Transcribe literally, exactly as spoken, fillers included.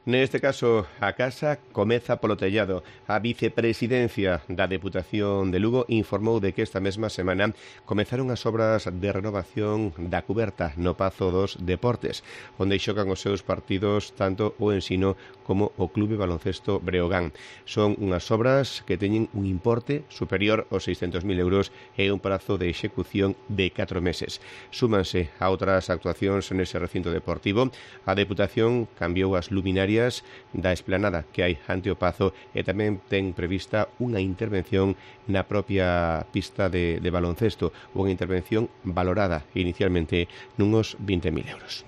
Neste caso, a casa comeza polo tellado. A vicepresidencia da Deputación de Lugo informou de que esta mesma semana comezaron as obras de renovación da cuberta no Pazo dos Deportes, onde xogan os seus partidos tanto o Ensino como o Clube Baloncesto Breogán. Son unhas obras que teñen un importe superior aos seiscentos mil euros e un prazo de execución de catro meses. Súmanse a outras actuacións nese recinto deportivo. A Deputación cambiou as luminarias da esplanada que hai ante o Pazo e tamén ten prevista unha intervención na propia pista de, de baloncesto, unha intervención valorada inicialmente nunos vinte mil euros.